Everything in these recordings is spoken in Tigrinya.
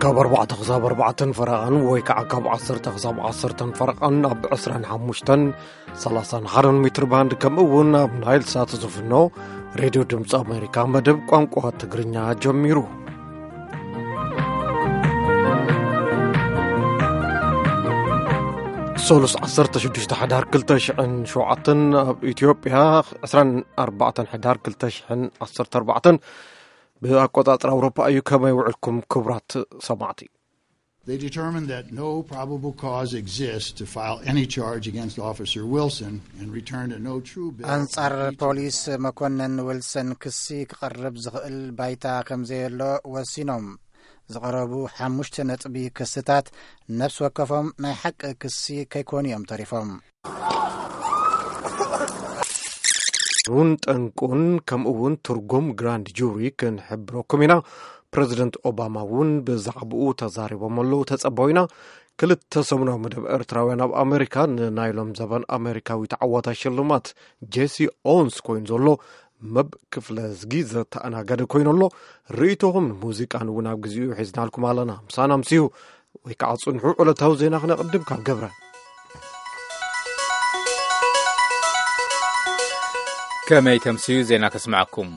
ካብ ኣርባዕተ ክሳብ ኣርባዕተን ፈረቓን ወይ ከዓ ካብ ዓሰርተ ክሳብ ዓሰርተን ፈረቓን ኣብ ዕስራን ሓሙሽተን ሰላሳን ሓደን ሜትር ባንድ፣ ከምኡ እውን ኣብ ናይል ሳት ዝፍኖ ሬድዮ ድምፂ ኣሜሪካ መደብ ቋንቋ ትግርኛ ጀሚሩ። ሰሉስ ዓሰርተ ሽዱሽተ ሕዳር ክልተ ሽሕን ሸውዓተን፣ ኣብ ኢትዮጵያ ዕስራን ኣርባዕተን ሕዳር ክልተ ሽሕን ዓሰርተ ኣርባዕተን ብኣቆጻጽራ ኣውሮፓ እዩ። ከመይ ውዕልኩም ክቡራት ሰማዕቲ? They determined that no probable cause exists to file any charge against Officer Wilson and returned a no true bill ኣንጻር ፖሊስ መኮነን ዊልሰን ክሲ ክቐርብ ዝኽእል ባይታ ከም ዘየሎ ወሲኖም። ዝቐረቡ ሓሙሽተ ነጥቢ ክስታት ነፍሲ ወከፎም ናይ ሓቂ ክሲ ከይኮኑ እዮም ተሪፎም። እውን ጠንቁን ከምኡ እውን ትርጉም ግራንድ ጁሪ ክንሕብረኩም ኢና። ፕረዚደንት ኦባማ እውን ብዛዕባኡ ተዛሪቦም ኣለዉ። ተጸበው ኢና። ክልተ ሰሙናዊ መደብ ኤርትራውያን ኣብ ኣሜሪካ ንናይሎም ዘበን ኣሜሪካዊ ተዓዋታይ ሽልማት ጄሲ ኦንስ ኮይኑ ዘሎ መብ ክፍለ ዝጊ ዘተኣናገደ ኮይኑ ኣሎ። ርእይቶኹም ንሙዚቃን እውን ኣብ ግዜኡ ሒዝናልኩም ኣለና። ምሳና ምሲዩ ወይ ከዓ ጽንሑ። ዕለታዊ ዜና ክነቕድም ካብ ገብረ። ከመይ ተምስዩ ዜና ከስምዐኩም።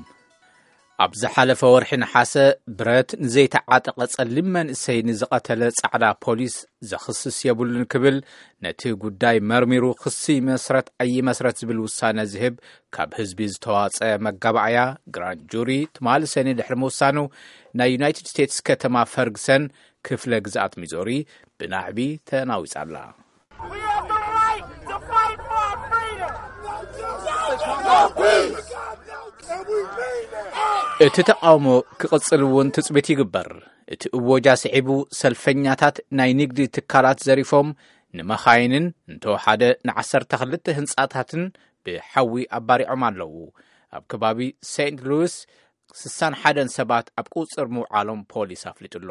ኣብ ዝሓለፈ ወርሒ ነሓሰ ብረት ንዘይተዓጠቐ ጸሊም መንእሰይ ንዝቐተለ ጻዕዳ ፖሊስ ዘኽስስ የብሉን ክብል ነቲ ጉዳይ መርሚሩ ክሲ ይመስረት ኣይመስረት ዝብል ውሳነ ዝህብ ካብ ህዝቢ ዝተዋጸ መጋባእያ ግራንድ ጁሪ ትማሊ ሰኒ ድሕሪ ምውሳኑ ናይ ዩናይትድ ስቴትስ ከተማ ፈርግሰን ክፍለ ግዝኣት ሚዞሪ ብናዕቢ ተናዊጻ ኣላ። We have the right to fight for our freedom. No peace. And we mean that. እቲ ተቓውሞ ክቕጽል እውን ትጽቢት ይግበር። እቲ እወጃ ስዒቡ ሰልፈኛታት ናይ ንግዲ ትካላት ዘሪፎም ንመኻይንን እንተወሓደ ንዓሰርተ ክልተ ህንጻታትን ብሓዊ ኣባሪዖም ኣለዉ። ኣብ ከባቢ ሴንት ሉዊስ ስሳን ሓደን ሰባት ኣብ ቁጽር ምውዓሎም ፖሊስ ኣፍሊጡ ኣሎ።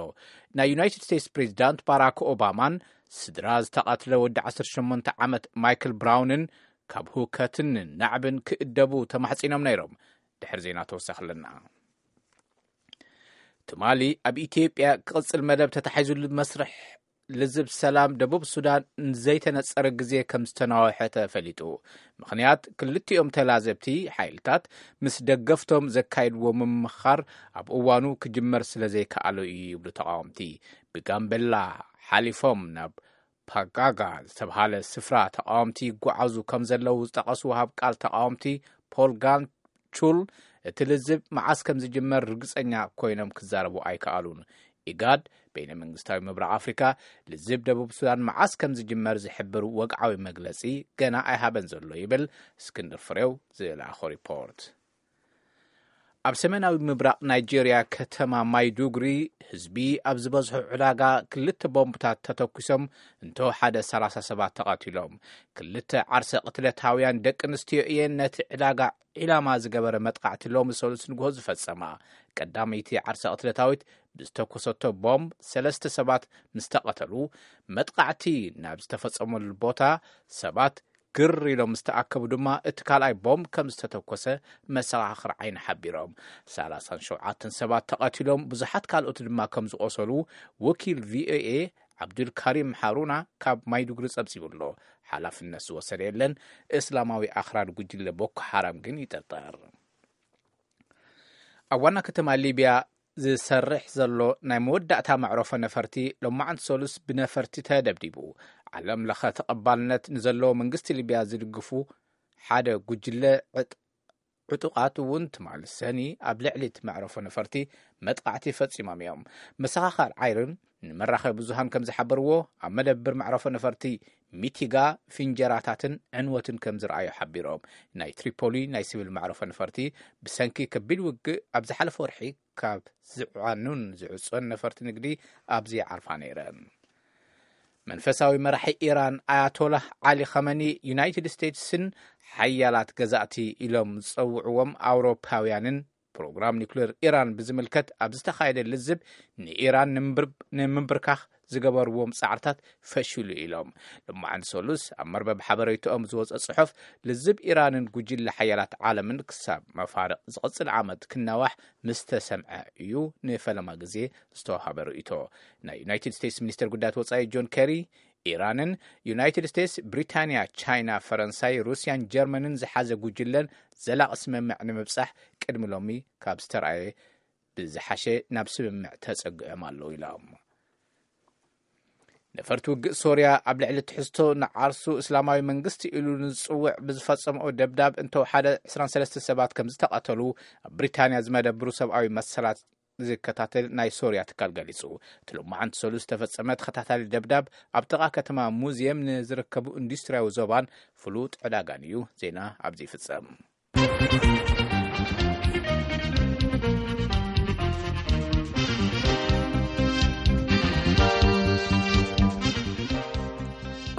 ናይ ዩናይትድ ስቴትስ ፕሬዚዳንት ባራክ ኦባማን ስድራ ዝተቐትለ ወዲ ዓሰርተ ሸሞንተ ዓመት ማይክል ብራውንን ካብ ሁከትን ናዕብን ክእደቡ ተማሕጺኖም ነይሮም። ድሕሪ ዜና ተወሳኺ ኣለና። ትማሊ ኣብ ኢትዮጵያ ክቕጽል መደብ ተታሒዙሉ መስርሕ ልዝብ ሰላም ደቡብ ሱዳን ንዘይተነጸረ ግዜ ከም ዝተናውሐ ተፈሊጡ። ምኽንያት ክልቲኦም ተላዘብቲ ሓይልታት ምስ ደገፍቶም ዘካይድዎ ምምኻር ኣብ እዋኑ ክጅመር ስለ ዘይከኣሎ እዩ ይብሉ ተቓወምቲ። ብጋምቤላ ሓሊፎም ናብ ፓጋጋ ዝተብሃለ ስፍራ ተቓወምቲ ይጓዓዙ ከም ዘለዉ ዝጠቐሱ ወሃብ ቃል ተቓወምቲ ፖል ጋን ቹል እቲ ልዝብ መዓስ ከም ዝጅመር ርግጸኛ ኮይኖም ክዛረቡ ኣይከኣሉን። ኢጋድ በይነ መንግስታዊ ምብራቕ ኣፍሪካ ልዝብ ደቡብ ሱዳን መዓስ ከም ዝጅመር ዝሕብር ወግዓዊ መግለጺ ገና ኣይሃበን ዘሎ ይብል እስክንድር ፍሬው ዝለኣኾ ሪፖርት። ኣብ ሰሜናዊ ምብራቕ ናይጄርያ ከተማ ማይዱግሪ ህዝቢ ኣብ ዝበዝሖ ዕዳጋ ክልተ ቦምብታት ተተኩሶም እንተወሓደ ሰላሳ ሰባት ተቐቲሎም። ክልተ ዓርሰ ቅትለታውያን ደቂ ኣንስትዮ እየን ነቲ ዕዳጋ ዒላማ ዝገበረ መጥቃዕቲ ሎሚ ሰሉስ ንግሆ ዝፈጸማ። ቀዳመይቲ ዓርሰ ቅትለታዊት ብዝተኮሰቶ ቦምብ ሰለስተ ሰባት ምስ ተቐተሉ፣ መጥቃዕቲ ናብ ዝተፈጸመሉ ቦታ ሰባት ግር ኢሎም ምስ ተኣከቡ ድማ እቲ ካልኣይ ቦምብ ከም ዝተተኮሰ መሰኻኽር ዓይኒ ሓቢሮም። ሰላሳን ሸውዓተን ሰባት ተቐቲሎም ብዙሓት ካልኦት ድማ ከም ዝቖሰሉ ወኪል ቪኦኤ ዓብዱልካሪም ሃሩና ካብ ማይዱግሪ ጸብጺቡ ኣሎ። ሓላፍነት ዝወሰደ የለን። እስላማዊ ኣኽራሪ ጉጅለ ቦኮ ሓራም ግን ይጥርጠር። ኣብ ዋና ከተማ ሊብያ ዝሰርሕ ዘሎ ናይ መወዳእታ መዕረፎ ነፈርቲ ሎማዓንቲ ሰሉስ ብነፈርቲ ተደብዲቡ። ዓለም ለኸ ተቐባልነት ንዘለዎ መንግስቲ ሊብያ ዝድግፉ ሓደ ጉጅለ ዕጥ- ዕጡቓት እውን ትማሊ ሰኒ ኣብ ልዕሊ እቲ መዕረፎ ነፈርቲ መጥቃዕቲ ፈጺሞም እዮም። መሰኻኻር ዓይርን ንመራኸቢ ብዙሃን ከም ዝሓበርዎ፣ ኣብ መደብር መዕረፎ ነፈርቲ ሚቲጋ ፍንጀራታትን ዕንወትን ከም ዝረኣዩ ሓቢሮም። ናይ ትሪፖሊ ናይ ሲቪል መዕረፎ ነፈርቲ ብሰንኪ ከቢድ ውግእ ኣብ ዝሓለፈ ወርሒ ካብ ዝዓኑን ዝዕጾን ነፈርቲ ንግዲ ኣብዚኣ ዓርፋ ነይረን። መንፈሳዊ መራሒ ኢራን ኣያቶላህ ዓሊ ኸመኒ ዩናይትድ ስቴትስን ሓያላት ገዛእቲ ኢሎም ዝጸውዕዎም ኣውሮፓውያንን ፕሮግራም ኒውክሌር ኢራን ብዝምልከት ኣብ ዝተኻየደ ልዝብ፣ ንኢራን ንምብር-፣ ንምንብርካኽ ዝገበርዎም ጻዕርታት ፈሽሉ ኢሎም። ሎማዓንቲ ሰሉስ ኣብ መርበብ ሓበሬታኦም ዝወጸ ጽሑፍ፣ ልዝብ ኢራንን ጉጅለ ሓያላት ዓለምን ክሳብ መፋርቕ ዝቕጽል ዓመት ክናዋሕ ምስ ተሰምዐ እዩ ንፈለማ ግዜ ዝተዋሃበ ርእይቶ። ናይ ዩናይትድ ስቴትስ ሚኒስትር ጉዳያት ወጻኢ ጆን ኬሪ፣ ኢራንን ዩናይትድ ስቴትስ፣ ብሪታንያ፣ ቻይና፣ ፈረንሳይ፣ ሩስያን ጀርመንን ዝሓዘ ጉጅለን ዘላቒ ስምምዕ ንምብጻሕ ቅድሚ ሎሚ ካብ ዝተረኣየ ብዝሓሸ ናብ ስምምዕ ተጸግዖም ኣለዉ ኢሎም። ነፈርቲ ውግእ ሶርያ ኣብ ልዕሊ ትሕዝቶ ንዓርሱ እስላማዊ መንግስቲ ኢሉ ንዝጽውዕ ብዝፈጸምኦ ደብዳብ እንተወሓደ ዕስራን ሰለስተ ሰባት ከም ዝተቐተሉ ኣብ ብሪታንያ ዝመደብሩ ሰብኣዊ መሰላት ዝከታተል ናይ ሶርያ ትካል ገሊጹ። እቲ ሎማዓንቲ ሰሉስ ዝተፈጸመ ተኸታታሊ ደብዳብ ኣብ ጥቓ ከተማ ሙዝየም ንዝርከቡ ኢንዱስትርያዊ ዞባን ፍሉጥ ዕዳጋን እዩ። ዜና ኣብዚ ይፍጸም።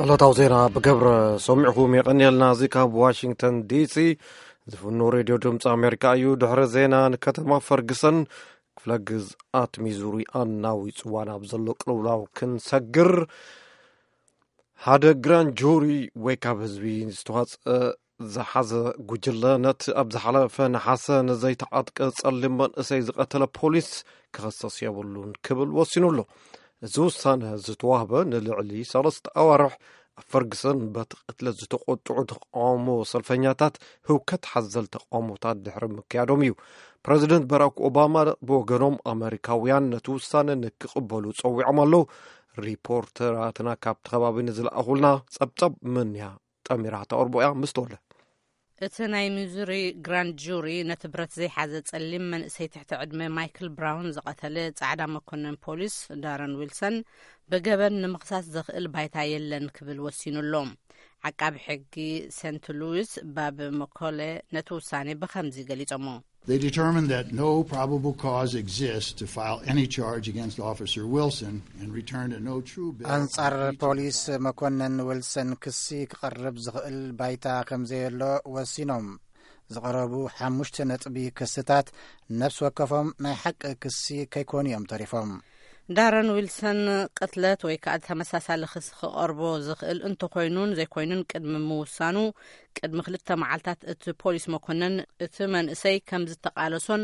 ዕለታዊ ዜና ብገብረ ሰሚዕኹም የቐንየልና። እዚ ካብ ዋሽንግተን ዲሲ ዝፍኖ ሬድዮ ድምፂ ኣሜሪካ እዩ። ድሕሪ ዜና ንከተማ ፈርግሰን ክፍለ ግዝኣት ሚዙሪ ኣናዊፅዋ ናብ ዘሎ ቅልውላው ክንሰግር፣ ሓደ ግራንድ ጁሪ ወይ ካብ ህዝቢ ዝተዋፅአ ዝሓዘ ጉጅለ ነቲ ኣብ ዝሓለፈ ነሓሰ ንዘይተዓጥቀ ጸሊም መንእሰይ ዝቐተለ ፖሊስ ክኸሰስ የብሉን ክብል ወሲኑ ኣሎ። እዚ ውሳነ ዝተዋህበ ንልዕሊ ሰለስተ ኣዋርሕ ኣብ ፈርግሰን በቲ ቅትለት ዝተቖጥዑ ተቃውሞ ሰልፈኛታት ህውከት ሓዘል ተቃውሞታት ድሕሪ ምክያዶም እዩ። ፕረዚደንት ባራክ ኦባማ ብወገኖም ኣመሪካውያን ነቲ ውሳነ ንክቕበሉ ጸዊዖም ኣለዉ። ሪፖርተራትና ካብቲ ከባቢ ንዝለኣኹልና ጸብጸብ ምንያ ጠሚራ ተቕርቦ እያ። ምስ ተወለ እቲ ናይ ሚዙሪ ግራንድ ጁሪ ነቲ ብረት ዘይሓዘ ጸሊም መንእሰይ ትሕቲ ዕድመ ማይክል ብራውን ዝቐተለ ጻዕዳ መኮነን ፖሊስ ዳረን ዊልሰን ብገበን ንምኽሳስ ዘኽእል ባይታ የለን ክብል ወሲኑ ኣሎ። ዓቃቢ ሕጊ ሴንት ሉዊስ ባብ መኮለ ነቲ ውሳኔ ብኸምዚ ገሊጾሞ። They determined that no probable cause exists to file any charge against Officer Wilson and returned a no true bill. ኣንጻር ፖሊስ መኮነን ዊልሰን ክሲ ክቐርብ ዝኽእል ባይታ ከም ዘየሎ ወሲኖም። ዝቐረቡ ሓሙሽተ ነጥቢ ክስታት ነፍሲ ወከፎም ናይ ሓቂ ክሲ ከይኮኑ እዮም ተሪፎም። ዳረን ዊልሰን ቅትለት ወይ ከኣ ተመሳሳሊ ክሲ ክቐርቦ ዝኽእል እንተኾይኑን ዘይኮይኑን ቅድሚ ምውሳኑ፣ ቅድሚ ክልተ መዓልታት እቲ ፖሊስ መኮነን እቲ መንእሰይ ከም ዝተቓለሶን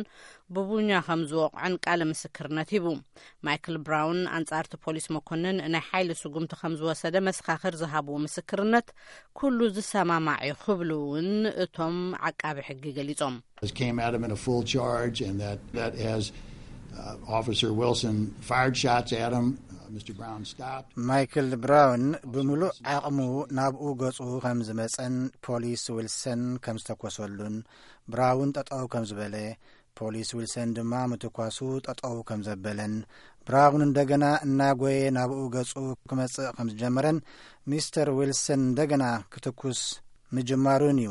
ብቡኛ ከም ዝወቕዖን ቃለ ምስክርነት ሂቡ። ማይክል ብራውን ኣንጻርቲ ፖሊስ መኮነን ናይ ሓይሊ ስጉምቲ ከም ዝወሰደ መሰኻኽር ዝሃብዎ ምስክርነት ኩሉ ዝሰማማዕ እዩ ክብሉ እውን እቶም ዓቃቢ ሕጊ ገሊጾም። Came at him in a full charge and that, that as uh, Officer Wilson fired shots at him, uh, Mister Brown stopped. ማይክል ብራውን ብምሉእ ዓቕሙ ናብኡ ገጹ ከም ዝመጸን ፖሊስ ዊልሰን ከም ዝተኮሰሉን ብራውን ጠጠው ከም ዝበለ፣ ፖሊስ ዊልሰን ድማ ምትኳሱ ጠጠው ከም ዘበለን፣ ብራውን እንደገና እናጎየ ናብኡ ገጹ ክመጽእ ከም ዝጀመረን ሚስተር ዊልሰን እንደገና ክትኩስ ምጅማሩን እዩ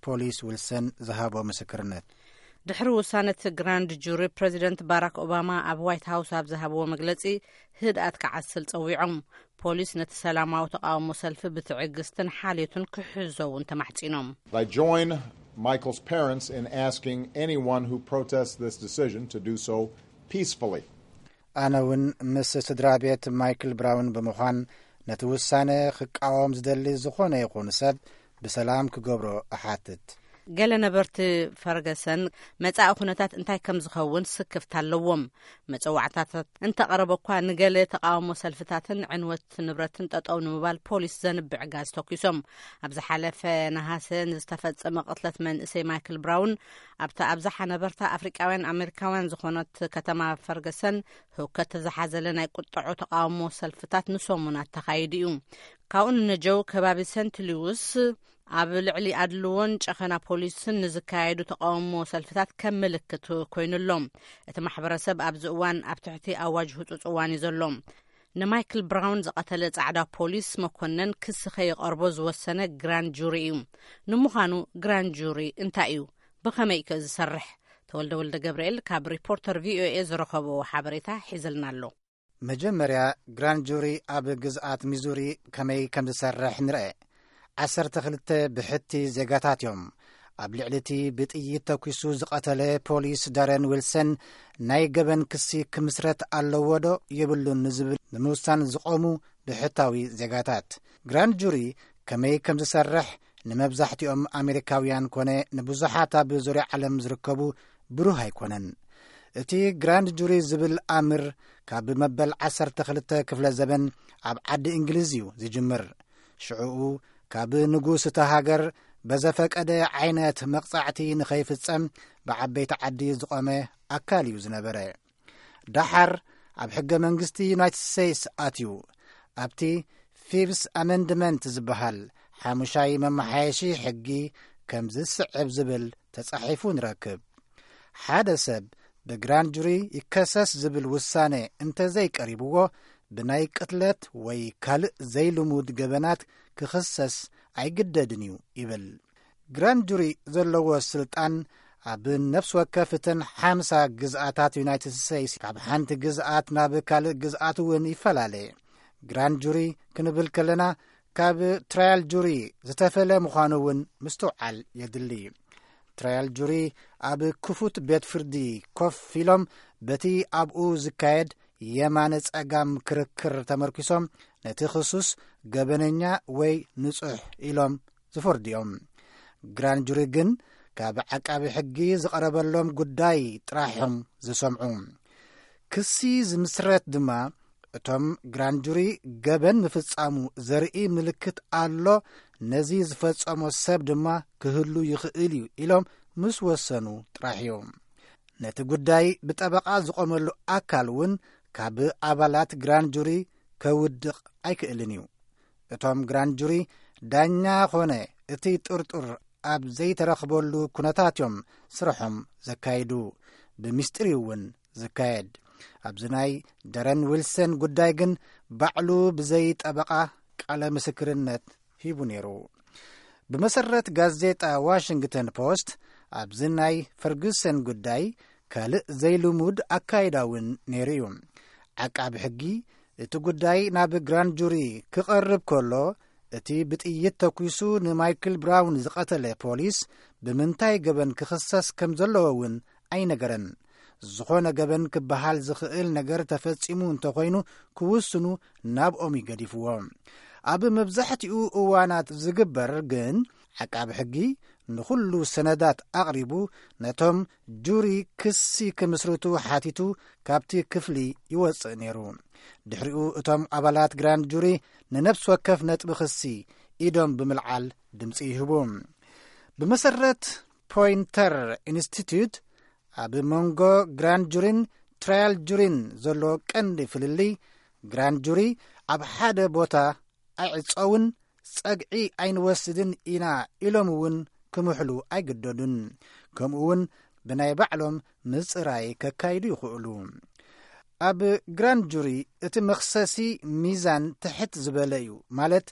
ፖሊስ ዊልሰን ዝሃቦ ምስክርነት። ድሕሪ ውሳነ እቲ ግራንድ ጁሪ፣ ፕረዚደንት ባራክ ኦባማ ኣብ ዋይት ሃውስ ኣብ ዝሃብዎ መግለጺ ህድኣት ክዓስል ጸዊዖም። ፖሊስ ነቲ ሰላማዊ ተቓውሞ ሰልፊ ብትዕግስትን ሓልዮትን ክሕዞ እውን ተማሕጺኖም። I join Michael's parents in asking anyone who protests this decision to do so peacefully. ኣነ እውን ምስ ስድራ ቤት ማይክል ብራውን ብምዃን ነቲ ውሳነ ክቃወም ዝደሊ ዝኾነ ይኹን ሰብ ብሰላም ክገብሮ እሓትት። ገለ ነበርቲ ፈርገሰን መጻኢ ኩነታት እንታይ ከም ዝኸውን ስክፍታ ኣለዎም። መጸዋዕታታት እንተቐረበ እኳ ንገለ ተቓውሞ ሰልፍታትን ዕንወት ንብረትን ጠጠው ንምባል ፖሊስ ዘንብዕ ጋዝ ተኩሶም። ኣብ ዝሓለፈ ነሃሰ ንዝተፈጸመ ቅትለት መንእሰይ ማይክል ብራውን ኣብታ ኣብዝሓ ነበርታ ኣፍሪቃውያን ኣሜሪካውያን ዝኾነት ከተማ ፈርገሰን ህውከት ዝሓዘለ ናይ ቁጠዖ ተቓውሞ ሰልፍታት ንሰሙናት ተኻይዱ እዩ። ካብኡ ንነጀው ከባቢ ሰንት ሉዊስ ኣብ ልዕሊ ኣድልዎን ጨኸና ፖሊስን ንዝካየዱ ተቓውሞ ሰልፍታት ከም ምልክት ኮይኑ ኣሎ። እቲ ማሕበረሰብ ኣብዚ እዋን ኣብ ትሕቲ ኣዋጅ ህጹጽ እዋን እዩ ዘሎ። ንማይክል ብራውን ዝቐተለ ጻዕዳ ፖሊስ መኮነን ክሲ ከይቐርቦ ዝወሰነ ግራንድ ጁሪ እዩ። ንምዃኑ ግራንድ ጁሪ እንታይ እዩ? ብኸመይ ከ ዝሰርሕ? ተወልደ ወልደ ገብርኤል ካብ ሪፖርተር ቪኦኤ ዝረኸቦ ሓበሬታ ሒዝልና ኣሎ። መጀመርያ ግራንድ ጁሪ ኣብ ግዝኣት ሚዙሪ ከመይ ከም ዝሰርሕ ንርአ። ዓሰርተ ክልተ ብሕቲ ዜጋታት እዮም። ኣብ ልዕሊ እቲ ብጥይት ተኲሱ ዝቐተለ ፖሊስ ዳረን ዊልሰን ናይ ገበን ክሲ ክምስረት ኣለዎ ዶ የብሉን ንዝብል ንምውሳን ዝቖሙ ብሕታዊ ዜጋታት፣ ግራንድ ጁሪ ከመይ ከም ዝሰርሕ ንመብዛሕትኦም ኣሜሪካውያን ኮነ ንብዙሓት ኣብ ዙርያ ዓለም ዝርከቡ ብሩህ ኣይኮነን። እቲ ግራንድ ጁሪ ዝብል ኣምር ካብ መበል ዓሰርተ ክልተ ክፍለ ዘበን ኣብ ዓዲ እንግሊዝ እዩ ዝጅምር። ሽዕኡ ካብ ንጉስ እታ ሃገር በዘፈቀደ ዓይነት መቕጻዕቲ ንኸይፍጸም ብዓበይቲ ዓዲ ዝቖመ ኣካል እዩ ዝነበረ። ደሓር ኣብ ሕገ መንግስቲ ዩናይትድ ስቴትስ ኣትዩ። ኣብቲ ፊፍስ ኣመንድመንት ዝበሃል ሓሙሻይ መመሓየሺ ሕጊ ከም ዝስዕብ ዝብል ተጻሒፉ ንረክብ። ሓደ ሰብ ብግራንድ ጁሪ ይከሰስ ዝብል ውሳነ እንተዘይቀሪብዎ፣ ብናይ ቅትለት ወይ ካልእ ዘይልሙድ ገበናት ክኽሰስ ኣይግደድን እዩ ይብል። ግራንድ ጁሪ ዘለዎ ስልጣን ኣብ ነፍሲ ወከፍ እተን ሓምሳ ግዝኣታት ዩናይትድ ስቴትስ ካብ ሓንቲ ግዝኣት ናብ ካልእ ግዝኣት እውን ይፈላለ። ግራንድ ጁሪ ክንብል ከለና ካብ ትራያል ጁሪ ዝተፈለ ምዃኑ እውን ምስትውዓል የድሊ። ትራያል ጁሪ ኣብ ክፉት ቤት ፍርዲ ኮፍ ኢሎም በቲ ኣብኡ ዝካየድ የማነ ጸጋም ክርክር ተመርኪሶም ነቲ ክሱስ ገበነኛ ወይ ንጹሕ ኢሎም ዝፈርዱ እዮም። ግራንድ ጁሪ ግን ካብ ዓቃቢ ሕጊ ዝቐረበሎም ጉዳይ ጥራሕም ዝሰምዑ። ክሲ ዝምስረት ድማ እቶም ግራንድ ጁሪ ገበን ምፍጻሙ ዘርኢ ምልክት ኣሎ፣ ነዚ ዝፈጸሞ ሰብ ድማ ክህሉ ይኽእል እዩ ኢሎም ምስ ወሰኑ ጥራሕ እዮም። ነቲ ጉዳይ ብጠበቓ ዝቖመሉ ኣካል እውን ካብ ኣባላት ግራንድ ጁሪ ከውድቕ ኣይክእልን እዩ። እቶም ግራንድ ጁሪ ዳኛ ኾነ እቲ ጥርጡር ኣብ ዘይተረኽበሉ ኩነታት እዮም ስርሖም ዘካይዱ፣ ብምስጢር እዩ እውን ዝካየድ። ኣብዚ ናይ ደረን ዊልሰን ጉዳይ ግን ባዕሉ ብዘይ ጠበቓ ቃለ ምስክርነት ሂቡ ነይሩ። ብመሰረት ጋዜጣ ዋሽንግተን ፖስት፣ ኣብዚ ናይ ፈርጉሰን ጉዳይ ካልእ ዘይልሙድ ኣካይዳ እውን ነይሩ እዩ። ዓቃቢ ሕጊ እቲ ጉዳይ ናብ ግራንድ ጁሪ ክቐርብ ከሎ፣ እቲ ብጥይት ተኲሱ ንማይክል ብራውን ዝቐተለ ፖሊስ ብምንታይ ገበን ክኽሰስ ከም ዘለዎ እውን ኣይነገረን። ዝኾነ ገበን ክበሃል ዝኽእል ነገር ተፈጺሙ እንተኾይኑ ክውስኑ ናብኦም ይገዲፍዎ። ኣብ መብዛሕትኡ እዋናት ዝግበር ግን ዓቃቢ ሕጊ ንኹሉ ሰነዳት ኣቕሪቡ ነቶም ጁሪ ክሲ ክምስርቱ ሓቲቱ ካብቲ ክፍሊ ይወጽእ ነይሩ። ድሕሪኡ እቶም ኣባላት ግራንድ ጁሪ ንነፍሲ ወከፍ ነጥቢ ክሲ ኢዶም ብምልዓል ድምጺ ይህቡ። ብመሰረት ፖይንተር ኢንስቲትዩት ኣብ መንጎ ግራንድ ጁሪን ትራያል ጁሪን ዘሎ ቀንዲ ፍልልይ፣ ግራንድ ጁሪ ኣብ ሓደ ቦታ ኣይዕጸውን፣ ጸግዒ ኣይንወስድን ኢና ኢሎም እውን ክምሕሉ ኣይግደዱን። ከምኡ እውን ብናይ ባዕሎም ምጽራይ ከካይዱ ይኽእሉ። ኣብ ግራንድ ጁሪ እቲ መኽሰሲ ሚዛን ትሕት ዝበለ እዩ፣ ማለት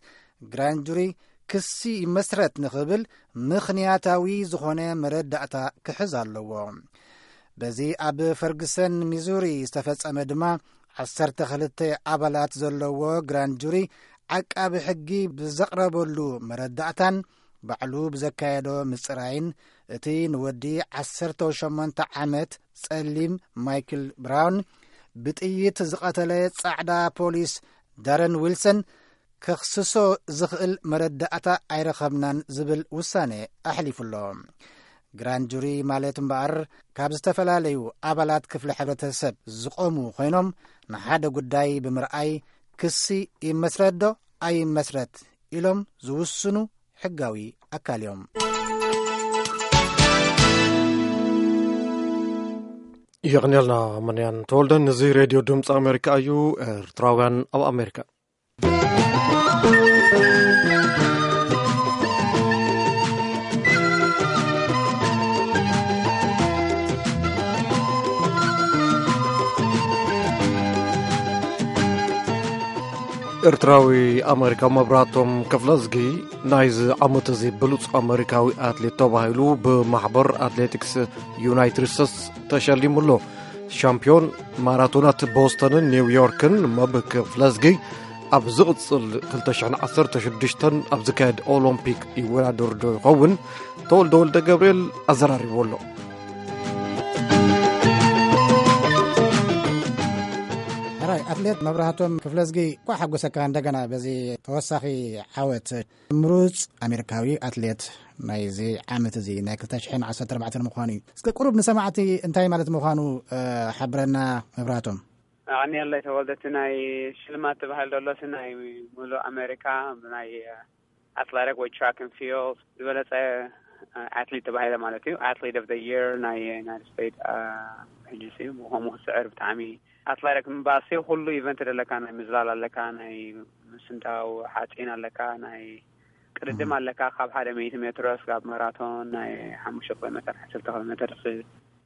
ግራንድ ጁሪ ክሲ ይመስረት ንኽብል ምኽንያታዊ ዝኾነ መረዳእታ ክሕዝ ኣለዎ። በዚ ኣብ ፈርግሰን ሚዙሪ ዝተፈጸመ ድማ ዓሰርተ ክልተ ኣባላት ዘለዎ ግራንድ ጁሪ ዓቃቢ ሕጊ ብዘቕረበሉ መረዳእታን ባዕሉ ብዘካየዶ ምጽራይን እቲ ንወዲ ዓሰርተ ሸሞንተ ዓመት ጸሊም ማይክል ብራውን ብጥይት ዝቐተለ ጻዕዳ ፖሊስ ዳረን ዊልሰን ከኽስሶ ዝኽእል መረዳእታ ኣይረኸብናን ዝብል ውሳነ ኣሕሊፉ ኣሎ። ግራንድ ጁሪ ማለት እምበኣር ካብ ዝተፈላለዩ ኣባላት ክፍሊ ሕብረተሰብ ዝቖሙ ኮይኖም ንሓደ ጉዳይ ብምርኣይ ክሲ ይመስረት ዶ ኣይመስረት ኢሎም ዝውስኑ ሕጋዊ ኣካል እዮም። የቕንየልና መንያን ተወልደን። እዚ ሬድዮ ድምፂ ኣሜሪካ እዩ። ኤርትራውያን ኣብ ኣሜሪካ። ኤርትራዊ ኣሜሪካ መብራህቶም ክፍለዝጊ ናይዚ ዓመት እዚ ብሉጽ ኣሜሪካዊ ኣትሌት ተባሂሉ ብማሕበር ኣትሌቲክስ ዩናይትድ ስቴትስ ተሸሊሙ ኣሎ። ሻምፒዮን ማራቶናት ቦስተንን ኒውዮርክን መብ ክፍለዝጊ ኣብ ዝቕጽል ክልተ ሽሕን ዓሰርተ ሽዱሽተን ኣብ ዝካየድ ኦሎምፒክ ይወዳደር ዶ ይኸውን? ተወልደ ወልደ ገብርኤል ኣዘራሪብዎ ኣሎ። ሕራይ ኣትሌት መብራህቶም ክፍለዝጊ፣ እኳ ሓጎሰካ እንደገና በዚ ተወሳኺ ዓወት። ምሩጽ ኣሜሪካዊ ኣትሌት ናይዚ ዓመት እዚ ናይ ክልተ ሽሕን ዓሰርተ ኣርባዕተን ምዃኑ እዩ። እስከ ቁሩብ ንሰማዕቲ እንታይ ማለት ምዃኑ፣ እ፣ ሓብረና መብራህቶም። ኣቕንየለይ ተወልደ፣ እቲ ናይ ሽልማት ተባሂሉ ዘሎ እቲ ናይ ሙሉእ ኣሜሪካ ናይ ኣትሌቲክ ወይ ትራክ ን ፊልድ ዝበለጸ ኣትሌት ተባሂለ ማለት እዩ። ኣትሌት ኦፍ ዘ የር ናይ ዩናይትድ ስቴትስ፣ እ፣ ሕጂ ሲ ብኸምኡ ክስዕር ብጣዕሚ ኣትሌቲክ ምባሲ ኩሉ ኢቨንት ዘለካ፣ ናይ ምዝላል ኣለካ፣ ናይ ምስንታው ሓፂን ኣለካ፣ ናይ ቅድድም ኣለካ፣ ካብ ሓደ ሚእቲ ሜትሮ ስጋብ ማራቶን ናይ ሓሙሽተ ኪሎ ሜትር፣ ዓሰርተ ኪሎ ሜትር ሲ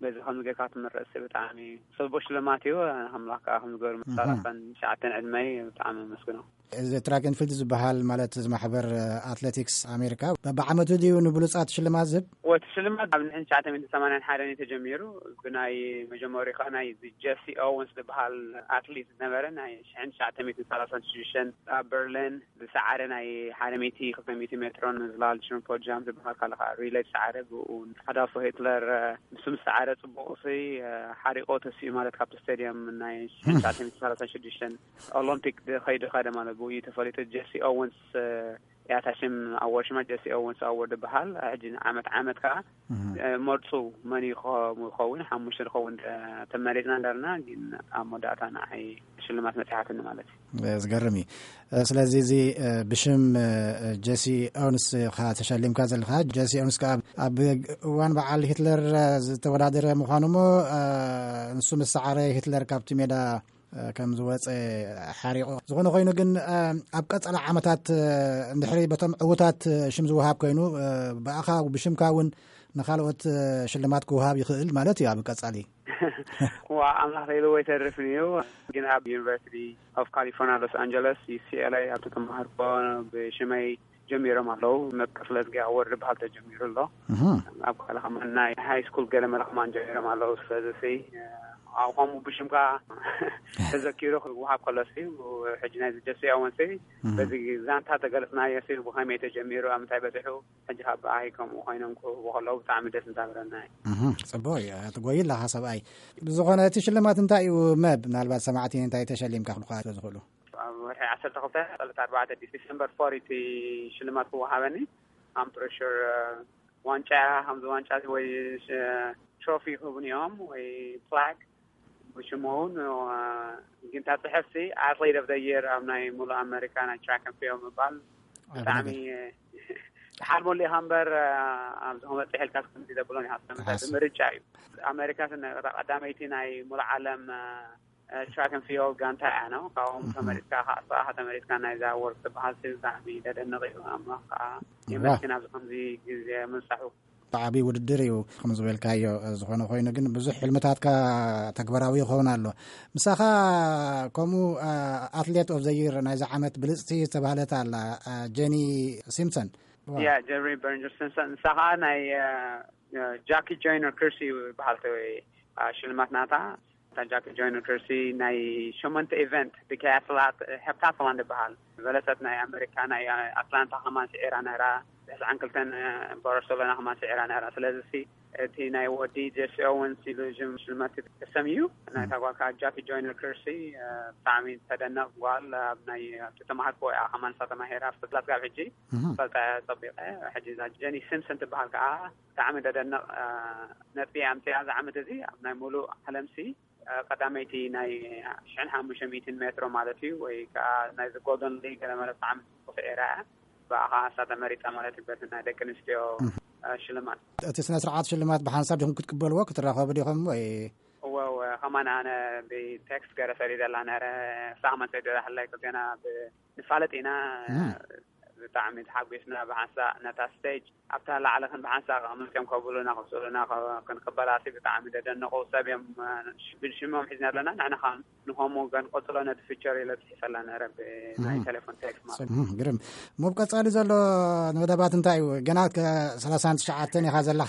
በዚ ከም ጌርካ ትምረጽ ሲ ብጣዕሚ ጽቡቅ ሽልማት እዩ። ኣምላኽ ከዓ ከም ዝገበሩ እህ። መሳላፈን ትሽዓተን ዕድመይ ብጣዕሚ ኣመስግኖ። እዚ ትራክ ን ፊልድ ዝበሃል ማለት እዚ ማሕበር ኣትሌቲክስ ኣሜሪካ በብዓመቱ ድዩ ንብሉጻት ሽልማት ዝህብ? ወቲ ሽልማት ኣብ ንሕን ትሽዓተ ሚእቲ ሰማንያን ሓደን እዩ ተጀሚሩ። ብናይ መጀመሪያ ከዓ ናይ ጀሲ ኦወንስ ዝበሃል ኣትሌት ዝነበረ ናይ ሽሕን ትሽዓተ ሚእቲ ሰላሳን ሽዱሽተን ኣብ በርሊን ዝሰዓረ ናይ ሓደ ሚእቲ ክልተ ሚእቲ ሜትሮን ምዝላል ሽምፖ ጃምፕ ዝበሃል ካልእ ከዓ ሪሌ ዝሰዓረ ብኡ ኣዳልፎ ሂትለር፣ እ፣ ንሱ ምስ ሰዓረ ጽቡቕ ሲ፣ እ፣ ሓሪቆ ተሲኡ ማለት ካብቲ ስቴድየም ናይ ሽሕን ትሽዓተ ሚእቲ ሰላሳን ሽዱሽተን ኦሎምፒክ ድ-፣ ከይዱ ከደ ማለት ብኡ እዩ ተፈሊጡ። ጀሲ ኦወንስ፣ እ፣ ያታ ሽም ኣወርድ ሽማ ጀሲ ኦወንስ ኣወርድ ዝበሃል። ሕጂ ዓመት ዓመት ከዓ፣ እህ። እ፣ መርጹ መን ይኸ-፣ ይኸውን ሓሙሽተ ዝኸውን፣ እ፣ ተመሪጽና እንዳርና ግን ኣብ መወዳእታ ንዓይ ሽልማት መጽሓትኒ ማለት እዩ። እ፣ ዝገርም እዩ። እ፣ ስለዚ እዚ፣ እ፣ ብሽም፣ እ፣ ጀሲ ኦውንስ ኢኻ ተሸሊምካ ዘለኻ። ጀሲ ኦውንስ ከኣ ኣብ፣ ኣብ እዋን በዓል ሂትለር፣ እ፣ ዝተወዳደረ ምዃኑ እሞ፣ እ፣ ንሱ ምስ ሰዓረ ሂትለር ካብቲ ሜዳ፣ እ፣ ከም ዝወጸ ሓሪቑ። ዝኾነ ኮይኑ ግን፣ እ፣ ኣብ ቀጸላ ዓመታት፣ እ፣ እንድሕሪ በቶም ዕዉታት፣ እ፣ ሽም ዝወሃብ ኮይኑ፣ እ፣ ብኣኻ ብሽምካ እውን ንኻልኦት፣ እ፣ ሽልማት ክወሃብ ይኽእል ማለት እዩ ኣብ ቀጻሊ። ዋ፣ ኣምላኽ ኢልዎ ኣይተርፍን እዩ። ግን ኣብ ዩኒቨርሲቲ ኦፍ ካሊፎርኒያ ሎስ ኣንጀለስ፣ ዩ ሲ ኤል ኤ፣ ኣብቲ ተማሃርኮ ብሽመይ ጀሚሮም ኣለዉ። መብቀስለዝጊ ኣወር ዝበሃል ተጀሚሩ ኣሎ። እህ። ኣብ ካልእ ከማን ናይ ሃይ ስኩል ገለ መለ ከማን ጀሚሮም ኣለዉ። ስለዚ ሲ፣ ኣብ ከምኡ ብሽምካ ተዘኪሩ ክወሃብ ከሎ ሲ፣ ሕጂ ናይ ጀስቲ ኣወን ሲ፣ እህ። በዚ ዛንታ ተገለጽናዮ ሲ፣ ብኸመይ ተጀሚሩ፣ ኣብ ምንታይ በጺሑ፣ ሕጂ ካብ ብኣይ ከምኡ ኮይኖም ክህቡ ከለዉ ብጣዕሚ ደስ እንዳበለና እዩ። እህ፣ ጽቡቕ እዩ። ትጎይ ኣለኻ ሰብኣይ። ብዝኾነ እቲ ሽልማት እንታይ እዩ መብ? ምናልባት ሰማዕቲ እንታይ ተሸሊምካ ክብልኳ ስለ ዝኽእሉ። ኣብ ወርሒ ዓሰርተ ክልተ፣ ዕለት ኣርባዕተ ዲስ-፣ ዲሰምበር ፎር እቲ ሽልማት ክወሃበኒ። ኣም ፕሪ ሹር፣ እ፣ ዋንጫ፣ ከምዚ ዋንጫ ወይ፣ እ፣ ትሮፊ ክህቡኒ እዮም ወይ ፍላግ ብሽሙ እውን፣ እ፣ ግን እታ ጽሕፍቲ ኣትሌት ኦፍ ዘ የር ኣብ ናይ ሙሉእ ኣሜሪካ ናይ ትራክ ን ፊልድ ምባል ኣበ ብጣዕሚ ነገር። ተሓልመሉ ኢኻ እምበር፣ እ፣ ኣብዚ ክመጽእ ኢልካ ከምዚ ዘብሎን ኢኻ። ስለምንታይ? ተሓስ- ብምርጫ እዩ። ኣሜሪካ ስነ-፣ እታ ቀዳመይቲ ናይ ሙሉእ ዓለም፣ እ፣ እ፣ ትራክ ን ፊልድ ጋንታ እያ ነው። ካብኦም እህ። ተመሪጽካ፣ ከዓ ተመሪጽካ ናይዛ ወርቅ ትበሃል ሲ ብጣዕሚ ዘደንቕ እዩ። ኣምላኽ ከዓ ዋ። የመስግን ኣብዚ ከምዚ ግዜ ምብጻሑ። ብዓቢ ውድድር እዩ፣ ከም ዝበልካዮ። ዝኾነ ኮይኑ ግን ብዙሕ ሕልምታትካ ተግባራዊ ይኸውን ኣሎ። ምሳኻ ከምኡ፣ እ፣ ኣትሌት ኦፍ ዘ ይር ናይዚ ዓመት ብልጽቲ ዝተባህለት ኣላ፣ እ፣ ጀኒ ሲምፕሰን። ዋ። ያ፣ ጀሪ በርንጀር ሲምፕሰን። ንሳ ከዓ ናይ፣ እ፣ እ፣ ጃኪ ጆይነር ክርሲ ይበሃል ተ-፣ እ፣ ሽልማት ናታ። እታ ጃኪ ጆይነር ክርሲ ናይ ሸሞንተ ኢቨንት ብካያትላት፣ ሄፕታትላን ዝበሃል፣ በለሰት ናይ ኣሜሪካ፣ ናይ ኣትላንታ ከማን ስዒራ ነራ፣ ተስዓን ክልተን ባርሰሎና ከማን ስዒራ ነራ። ስለዚ ሲ፣ እቲ ናይ ወዲ ጀሲ ኦወንስ ኢሉ ሽም-፣ ሽልማት ተሰምዩ። ናይታ ጓል ከዓ ጃኪ ጆይነር ክርሲ፣ እ፣ ብጣዕሚ ተደነቕ ጓል። ኣብ ናይ፣ ኣብቲ ተማሃርኩ እያ ከማን እሳ ተማሂራ፣ ኣብ ስላት ጋብ ሕጂ እህ። ፈልጣ እያ ጸቢቐ። ሕጂ እዛ ጀኒ ሲምፕሰን ትበሃል ከዓ ብጣዕሚ ተደነቕ፣ እ፣ ነጥቢ ኣምፅያ። እዚ ዓመት እዚ ኣብ ናይ ሙሉእ ዓለም ሲ፣ እ፣ ቀዳመይቲ ናይ ሽሕን ሓሙሽተ ሚእትን ሜትሮ ማለት እዩ፣ ወይ ከዓ ናይዚ ጎልደን ሊግ ገለ ማለት ብጣዕሚ ጽቡቕ ስዒራ እያ። ብኣኻ እሳ ተመሪጻ ማለት እዩ፣ በቲ ናይ ደቂ ኣንስትዮ፣ እህ። እ፣ ሽልማት። እቲ ስነ ስርዓት ሽልማት ብሓንሳብ ዲኹም ክትቅበልዎ፣ ክትራኸቡ ዲኹም ወይ? እወ፣ እወ፣ ከማን ኣነ ብቴክስት ገይረ ሰዲደላ ነረ፣ እሳ ከማን ሰዲዳትለይ፣ ክልቴና ብ-፣ ንፋለጥ ኢና። እህ። ብጣዕሚ ተሓጒስና ብሓንሳእ ነታ ስቴጅ ኣብታ ላዕሊ ክንዲ ሓንሳእ ከመልክዮም ከብሉና፣ ክስእሉና፣ ከ-፣ ክንቅበላሲ ብጣዕሚ ዘደነቑ ሰብ እዮም። ሽ-፣ ብሽሞም ሒዝና ኣለና። ንሕና ኸዓ ንኸምኡ ገን ቀጽሎ ነቲ ፊቸር ኢለ ጽሒፈላ ነረ ብ-፣ ናይ እህ። ቴሌፎን ቴክስት ማለት። ጽቡቕ፣ ግርም። ሞብ ቀጻሊ ዘሎ መደባት እንታይ እዩ? ገና ከ-፣ ሰላሳን ትሽዓተን ኢኻ ዘላ።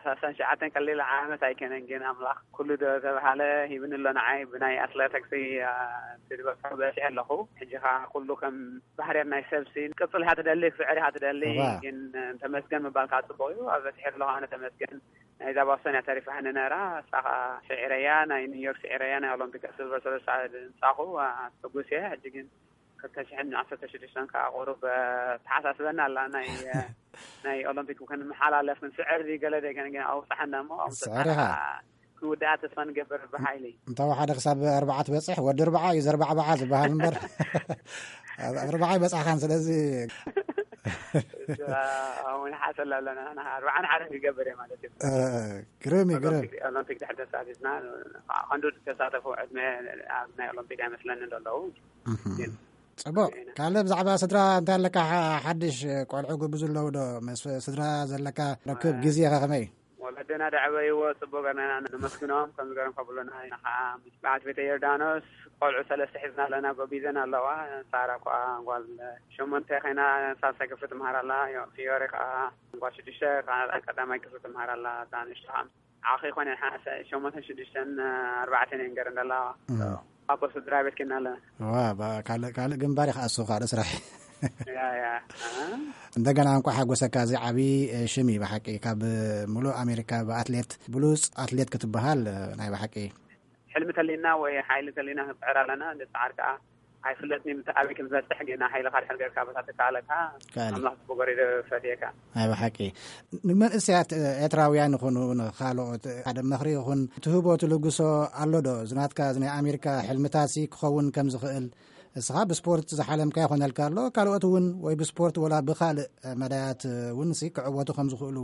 ሰላሳን ሸዓተን ቀሊል ዓመት ኣይከነን፣ ግን ኣምላኽ ኩሉ ዶ ተባሃለ ሂብኒ ኣሎ ንዓይ። ብናይ ኣትሌቲክስ፣ አ፣ እቲ ዝበጽሖ በጺሐ ኣለኹ። ሕጂ ኸኣ ኩሉ ከም ባህርያት ናይ ሰብ ሲ፣ ክትቅጽል ኢኻ ትደሊ፣ ክትስዕር ኢኻ ትደሊ። እዋ። ግን ተመስገን ምባል ከኣ ጽቡቕ እዩ። ኣብ በጺሐ ኣለኹ ኣነ ተመስገን። ናይዛ ቦስተን እያ ተሪፋኒ ነራ፣ እሳ ኸኣ ስዒረያ፣ ናይ ኒውዮርክ ስዒረያ፣ ናይ ኦሎምፒክ ሲልቨር ሰለስተ ምጻኹ፣ አ፣ ሕጉስ እየ። ሕጂ ግን ክልተ ሽሕን ዓሰርተ ሽዱሽተን ከኣ ቁሩብ፣ እ፣ ተሓሳስበና ኣላ። ናይ፣ እ፣ ናይ ኦሎምፒክ ክንመሓላለፍ ክንስዕር ድዩ ገለ ደገን ግን ኣውጽሓና እሞ፣ ኣውጽሓና ስዕር ኢኻ። ክንውድኣ ተስፋ ንገብር ብሓይሊ። እንተ ሓደ ክሳብ ኣርባዓ ትበጽሕ፣ ወዲ ኣርባዓ እዩ ዘርባዕባዓ ዝበሃል እምበር፣ ኣብ ኣርባዓ ይበጽሕካን። ስለዚ፣ እዛ፣ ኣሁን ሓሰላ ኣለና፣ ንሕና ኣርባዓን ሓደን ክገብር እየ ማለት እዩ። እ፣ ግርም እዩ፣ ግርም። ኦሎምፒክ፣ ኦሎምፒክ ድሕሪ ተሳቲፍና፣ ክንዱ ተሳተፉ ዕድመ ኣብ ናይ ኦሎምፒክ ኣይመስለንን ዘለዉ። እህ። ግን ጽቡቕ። ግን ካልእ ብዛዕባ ስድራ እንታይ ኣለካ? ሓ-፣ ሓድሽ ቆልዑ ግብዙ ኣለዉ ዶ? ምስ ስድራ ዘለካ ርክብ፣ አ፣ ግዜ ከ ከመይ? ወለድና ደዕበይዎ ጽቡቕ ገርና ኢና ነመስግኖም። ከምዚ ገርም ከብሉና ኢና ኸዓ። ምስ በዓልቲ ቤተ ዮርዳኖስ ቆልዑ ሰለስተ ሒዝና ኣለና፣ ጎቢዘን ኣለዋ። ሳራ እኳ ጓል ሸሞንተ ኮይና ሳልሳይ ክፍሊ ትምሃር ኣላ። ዮ-፣ ፊዮሪ ከኣ ጓል ሽዱሽተ ከኣ ቀዳማይ ክፍሊ ትምሃር ኣላ። እታ ንእሽቶ ከኣ ዓኺ ኮነ ሓ-፣ ሸሞንተን ሽዱሽተን ኣርባዕተን እየን ገረን ዘለዋ። እም። ኣቦ ስድራ ቤት ኬና ኣለና። ዋ፣ ባ-፣ ካልእ፣ ካልእ ግንባር ይኸኣሱ፣ ካልእ ስራሕ። ያ፣ ያ። ኣሃ። እንደገና እንቋዕ ሓጎሰካ። እዚ ዓቢ፣ እ፣ ሽም እዩ ብሓቂ። ካብ ምሉእ ኣሜሪካ ብኣትሌት፣ ብሉጽ ኣትሌት ክትበሃል፣ እ፣ ናይ ብሓቂ። ሕልሚ ተሊና ወይ ሓይሊ ተሊና ክንጽዕር ኣለና። ንጽዓር ከኣ ኣይፍለጥን እዩ፣ ምሳይ ኣበይ ከም ዝበጽሕ፣ ግና ሓይልኻ ድሕር ጌርካ በታ ትከኣለካ፣ ትከኣል እዩ። ኣምላኽ ጽቡቕ ገይሩ ፈትየካ። ኣይ፣ ብሓቂ። ንመንእሰያት ኤርትራውያን ይኹኑ ንኻልኦት ሓደ ምኽሪ ይኹን ትህቦ ትልግሶ ኣሎ ዶ? እዚ ናትካ፣ እዚ ናይ ኣሜሪካ ሕልምታትሲ ክኸውን ከም ዝኽእል፣ እስኻ ብስፖርት ዝሓለምካ ይኾነልካ ኣሎ፣ ካልኦት እውን ወይ ብስፖርት ወላ ብኻልእ መዳያት እውን ሲ ክዕወቱ ከም ዝኽእሉ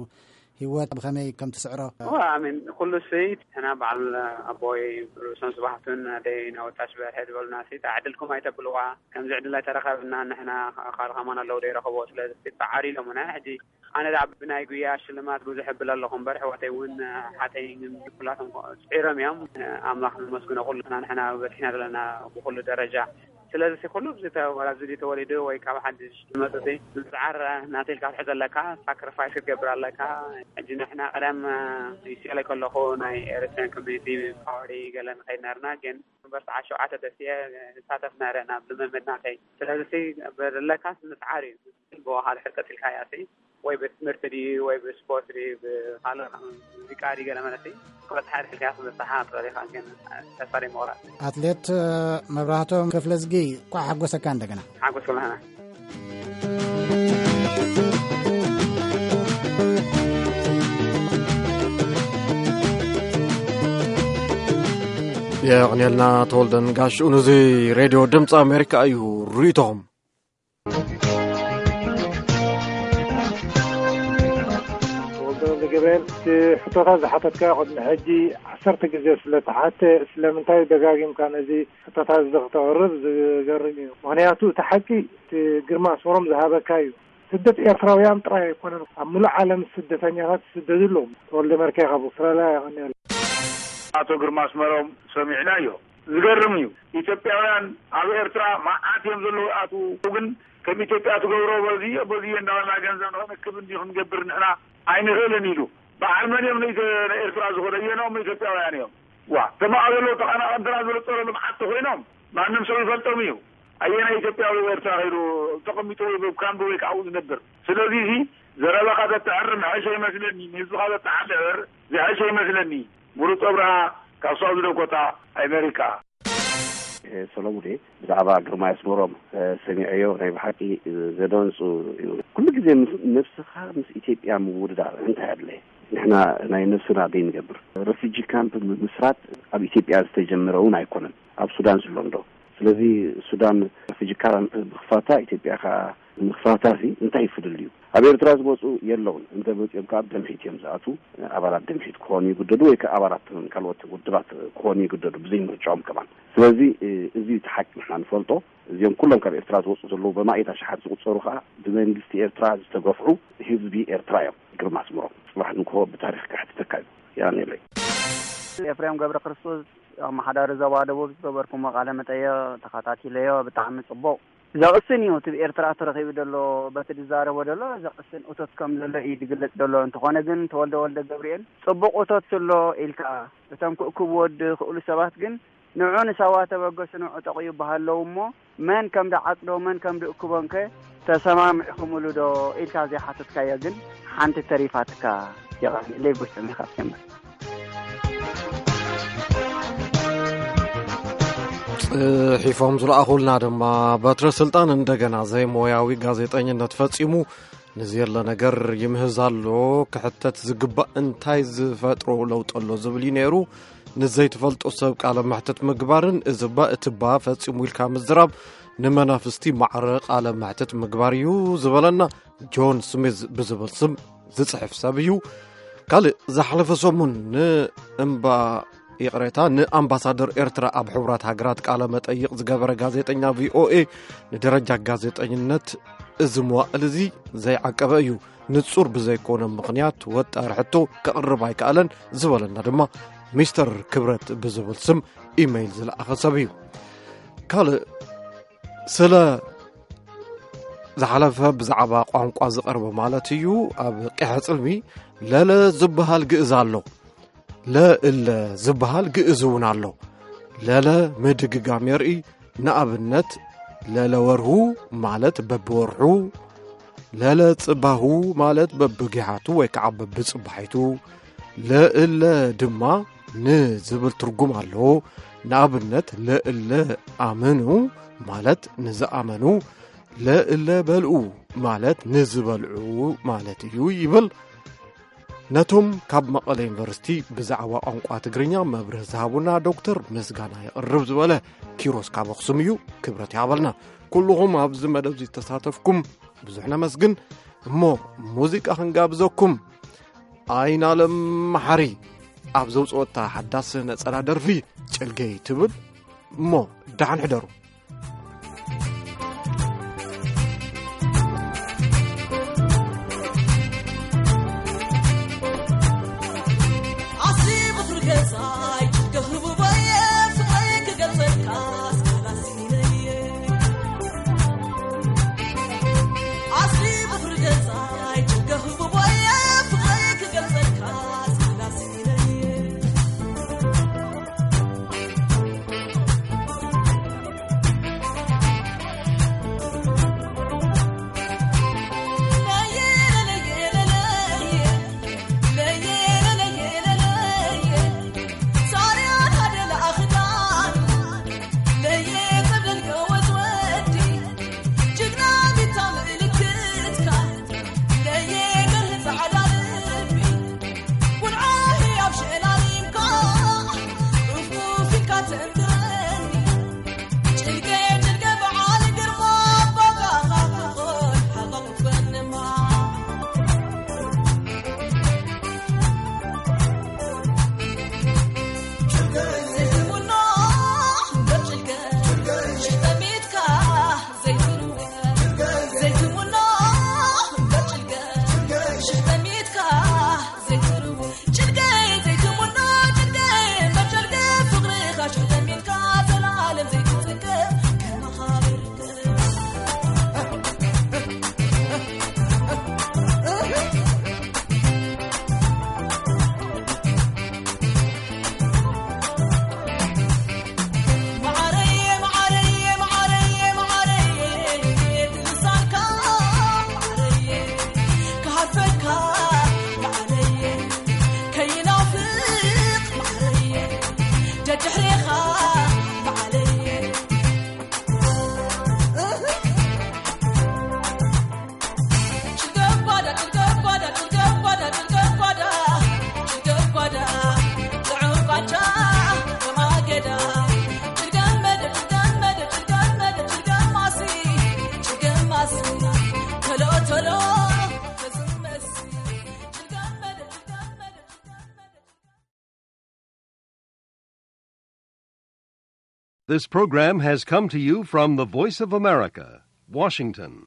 ህይወት ብኸመይ ከም ትስዕሮ? እዋ፣ ኣሜን። ኩሉ ሲ ንሕና በዓል ኣቦይ ርእሶም ስብሓቱን ኣደይ ናወታሽ በርሀ ዝበሉና ሲ፣ "ዕድልኩም ኣይተብልዋ፣ ከምዚ ዕድል ኣይተረኸብና፣ ንሕና ካልእ ከማን ኣለዉ ዶ ይረኸብዎ?" ስለዚ ሲ ጻዓሪ ኢሎምና። ሕጂ ኣነ ደኣ ብናይ ጉያ ሽልማት ብዙሕ እብል ኣለኹ እምበር፣ ኣሕዋተይ እውን ሓተይ ግን ኩላቶም ጽዒሮም እዮም። ኣምላኽ ነመስግኖ፣ ኩልና ንሕና በጺሕና ዘለና ብኹሉ ደረጃ። ስለዚ ሲ ኩሉ ኣብዚ ተ-፣ ወላ ኣብዚ ድዩ ተወሊዱ ወይ ካብ ሓድሽ ዝመጽእ ሲ፣ ምጽዓር ናተይ ኢልካ ክትሕዝ ኣለካ፣ ሳክሪፋይስ ክትገብር ኣለካ። ሕጂ ንሕና ቀደም፣ እ፣ ዩሲኤልኤ ከለኹ ናይ ኤሪትሪያን ኮሚኒቲ ፓወሪ ገለ ንኸይድ ነርና፣ ግን ዩኒቨርሲቲ ዓሰርተ ሸውዓተ ደሴ ንሳተፍ ነረ ናብ ልምምድ ናተይ። ስለዚ ሲ ዘለካስ ምጽዓር እዩ። ብወሃድ ሕርቀት ኢልካያ ሲ ወይ ብትምህርቲ ድዩ ወይ ብስፖርት ድዩ ብኻልእ ሙዚቃ ድዩ ገለ ማለት እዩ። ክበጽሓ ድሕልካ ክበጽሓ ትኽእል ኢኻ፣ ግን ተስፋ ዘይምቑራጽ። ኣትሌት መብራህቶም ክፍለዝጊ፣ እንኳዕ ሓጎሰካ እንደገና። ሓጎስ ኩላህና። የቕንየልና ተወልደን ጋሽኡን። እዚ ሬድዮ ድምፂ ኣሜሪካ እዩ። ርእይቶኹም። ተወልደ ወልደ ገብርኤል፣ እቲ ሕቶታት ዝሓተትካዮ ቅድሚ ሕጂ ዓሰርተ ግዜ ስለ ተሓተ፣ ስለምንታይ ደጋጊምካ ነዚ ሕቶታት እዚ ክተቕርብ ዝገርም እዩ። ምኽንያቱ እቲ ሓቂ እቲ ግርማ ኣስመሮም ዝሃበካ እዩ። ስደት ኤርትራውያን ጥራይ ኣይኮነን፣ ኣብ ሙሉእ ዓለም ስደተኛታት ይስደዱ ኣለዉ። ተወልደ መርካይ ካብ ኣውስትራልያ፣ የቐንየልና። ኣቶ ግርማ ኣስመሮም ሰሚዕናዮ። ዝገርም እዩ። ኢትዮጵያውያን ኣብ ኤርትራ መዓት እዮም ዘለዉ። ኣቱ ግን ከም ኢትዮጵያ ትገብሮ በዚ በዚ እንዳበልና ገንዘብ ንኽንክብ እንዲ ክንገብር ንሕና ኣይንኽእልን ኢሉ። በዓል መን እዮም ንኢትዮ-፣ ንኤርትራ ዝኾኑ? ኣየኖም ኢትዮጵያውያን እዮም? ዋ፣ ተማኣ ዘለዉ ተቐናቐንትና ዝለፀሩ ልምዓት ተኾይኖም ማንም ሰብ ይፈልጦም እዩ። ኣየናይ ኢትዮጵያዊ ኤርትራ ከይዱ ተቐሚጡ ወይ ኣብ ካምፕ ወይ ከዓ ዝነብር? ስለዚ እዚ ዘረባኻ ተተዕርም ሕሸ ይመስለኒ፣ ንህዝብኻ ተተሓድሕር ዝሕሸ ይመስለኒ። ምሩፅ ኣብርሃ ካብ ሳውዝ ዳኮታ ኣሜሪካ። ሰሎሙን፣ ብዛዕባ ግርማይ ኣስመሮም ሰሚዐዮ፣ ናይ ብሓቂ ዘደንጹ እዩ። ኩሉ ግዜ ምስ ነብስኻ ምስ ኢትዮጵያ ምውድዳር እንታይ ኣድለየ? ንሕና ናይ ነብስና ደይ ንገብር። ረፊጂ ካምፕ ምምስራት ኣብ ኢትዮጵያ ዝተጀመረ እውን ኣይኮነን። ኣብ ሱዳን ዝሎ እንዶ። ስለዚ ሱዳን ረፊጂ ካምፕ ምኽፋታ፣ ኢትዮጵያ ከኣ ምኽፋታ ሲ እንታይ ፍልልዩ? ኣብ ኤርትራ ዝመጹ የለውን። እንተ መጺኦም ከኣ ደምሒት እዮም ዝኣትዉ። ኣባላት ደምሒት ክኾኑ ይግደዱ ወይ ከኣ ኣባላት ካልኦት ውድባት ክኾኑ ይግደዱ፣ ብዘይ ምርጫኦም ከማን። ስለዚ፣ እ፣ እዚ እቲ ሓቂ ንሕና ንፈልጦ። እዚኦም ኩሎም ካብ ኤርትራ ዝወጹ ዘለዉ ብኣማኢት ኣሽሓት ዝቑጸሩ ከኣ ብመንግስቲ ኤርትራ ዝተገፍዑ ህዝቢ ኤርትራ እዮም። ግርማ ኣስመሮም ጽባሕ ንግሆ ብታሪኽ ከሕትተካ እዩ። ያኔለይ። ኤፍሬም ገብረ ክርስቶስ፣ ኣመሓዳሪ ዞባ ደቡብ፣ ዝገበርኩሞ ቃለ መጠየቕ ተኸታቲለዮ፣ ብጣዕሚ ጽቡቕ። ዘቕስን እዩ። እቲ ብኤርትራ ተረኺቡ ዘሎ፣ በቲ ዝዛረቦ ዘሎ ዘቕስን እቶት ከም ዘሎ እዩ ዝግለጽ ዘሎ። እንተኾነ ግን፣ ተወልደ ወልደ ገብርኤል፣ ጽቡቕ እቶት ስሎ ኢልካ፣ እቶም ክእክብዎ ዝኽእሉ ሰባት ግን፣ ንዑ ንሳዋ ተበገሱ፣ ንዑ ጠቕዩ በሃለዉ እሞ፣ መን ከም ደዓጽዶ፣ መን ከም ድእክቦንከ ተሰማሚዕኹምሉ ዶ ኢልካ ዘይሓተትካዮ ግን ሓንቲ ተሪፋትካ። የቐንየለይ፣ ብስም ኢኻ ትጀምር። ጽሒፎም ዝለኣኹልና ድማ፣ በትረ ስልጣን እንደገና ዘይሞያዊ ጋዜጠኝነት ፈጺሙ፣ ንዘየለ ነገር ይምህዝ ኣሎ። ክሕተት ዝግባእ እንታይ ዝፈጥሮ ለውጢ ኣሎ ዝብል እዩ ነይሩ። ንዘይትፈልጦ ሰብ ቃለ መሕትት ምግባርን እዚ እባ እቲ እባ ፈጺሙ ኢልካ ምዝራብ ንመናፍስቲ ማዕረ ቃለ መሕትት ምግባር እዩ ዝበለና ጆን ስሚዝ ብዝብል ስም ዝጽሕፍ ሰብ እዩ። ካልእ ዝሓለፈ ሰሙን ንእምባ ይቕሬታ፣ ንኣምባሳደር ኤርትራ ኣብ ሕቡራት ሃገራት ቃለ መጠይቕ ዝገበረ ጋዜጠኛ ቪኦኤ ንደረጃ ጋዜጠኝነት እዚ መዋእል እዚ ዘይዓቀበ እዩ። ንጹር ብዘይኮነ ምኽንያት ወጣሪ ሕቶ ከቕርብ ኣይከኣለን ዝበለና ድማ ሚስተር ክብረት ብዝብል ስም ኢመይል ዝለኣኸ ሰብ እዩ። ካልእ ስለ ዝሓለፈ ብዛዕባ ቋንቋ ዝቐርበ ማለት እዩ። ኣብ ቂሐ ጽልሚ ለለ ዝበሃል ግእዝ ኣሎ። ለእለ ዝበሃል ግእዝ እውን ኣሎ። ለለ ምድግጋም የርኢ። ንኣብነት፣ ለለ ወርሁ ማለት በብወርሑ፣ ለለ ጽባሁ ማለት በብጊሓቱ ወይ ከዓ በብጽባሒቱ፣ ለእለ ድማ ንዝብል ትርጉም ኣለዎ። ንኣብነት፣ ለእለ ኣመኑ ማለት ንዝኣመኑ፣ ለእለ በልዑ ማለት ንዝበልዑ ማለት እዩ ይብል። ነቶም ካብ መቐለ ዩኒቨርሲቲ ብዛዕባ ቋንቋ ትግርኛ መብርህ ዝሃቡና ዶክተር ምስጋና የቕርብ ዝበለ ኪሮስ ካብ ኣኽሱም እዩ። ክብረት ይሃበልና። ኩልኹም ኣብዚ መደብ ዝተሳተፍኩም ብዙሕ ነመስግን። እሞ ሙዚቃ ክንጋብዘኩም። ኣይናለም መሓሪ ኣብ ዘውፅኦታ ሓዳስ ነፀላ ደርፊ ጨልገይ ትብል። እሞ ደሓን ሕደሩ። This program has come to you from the Voice of America, Washington.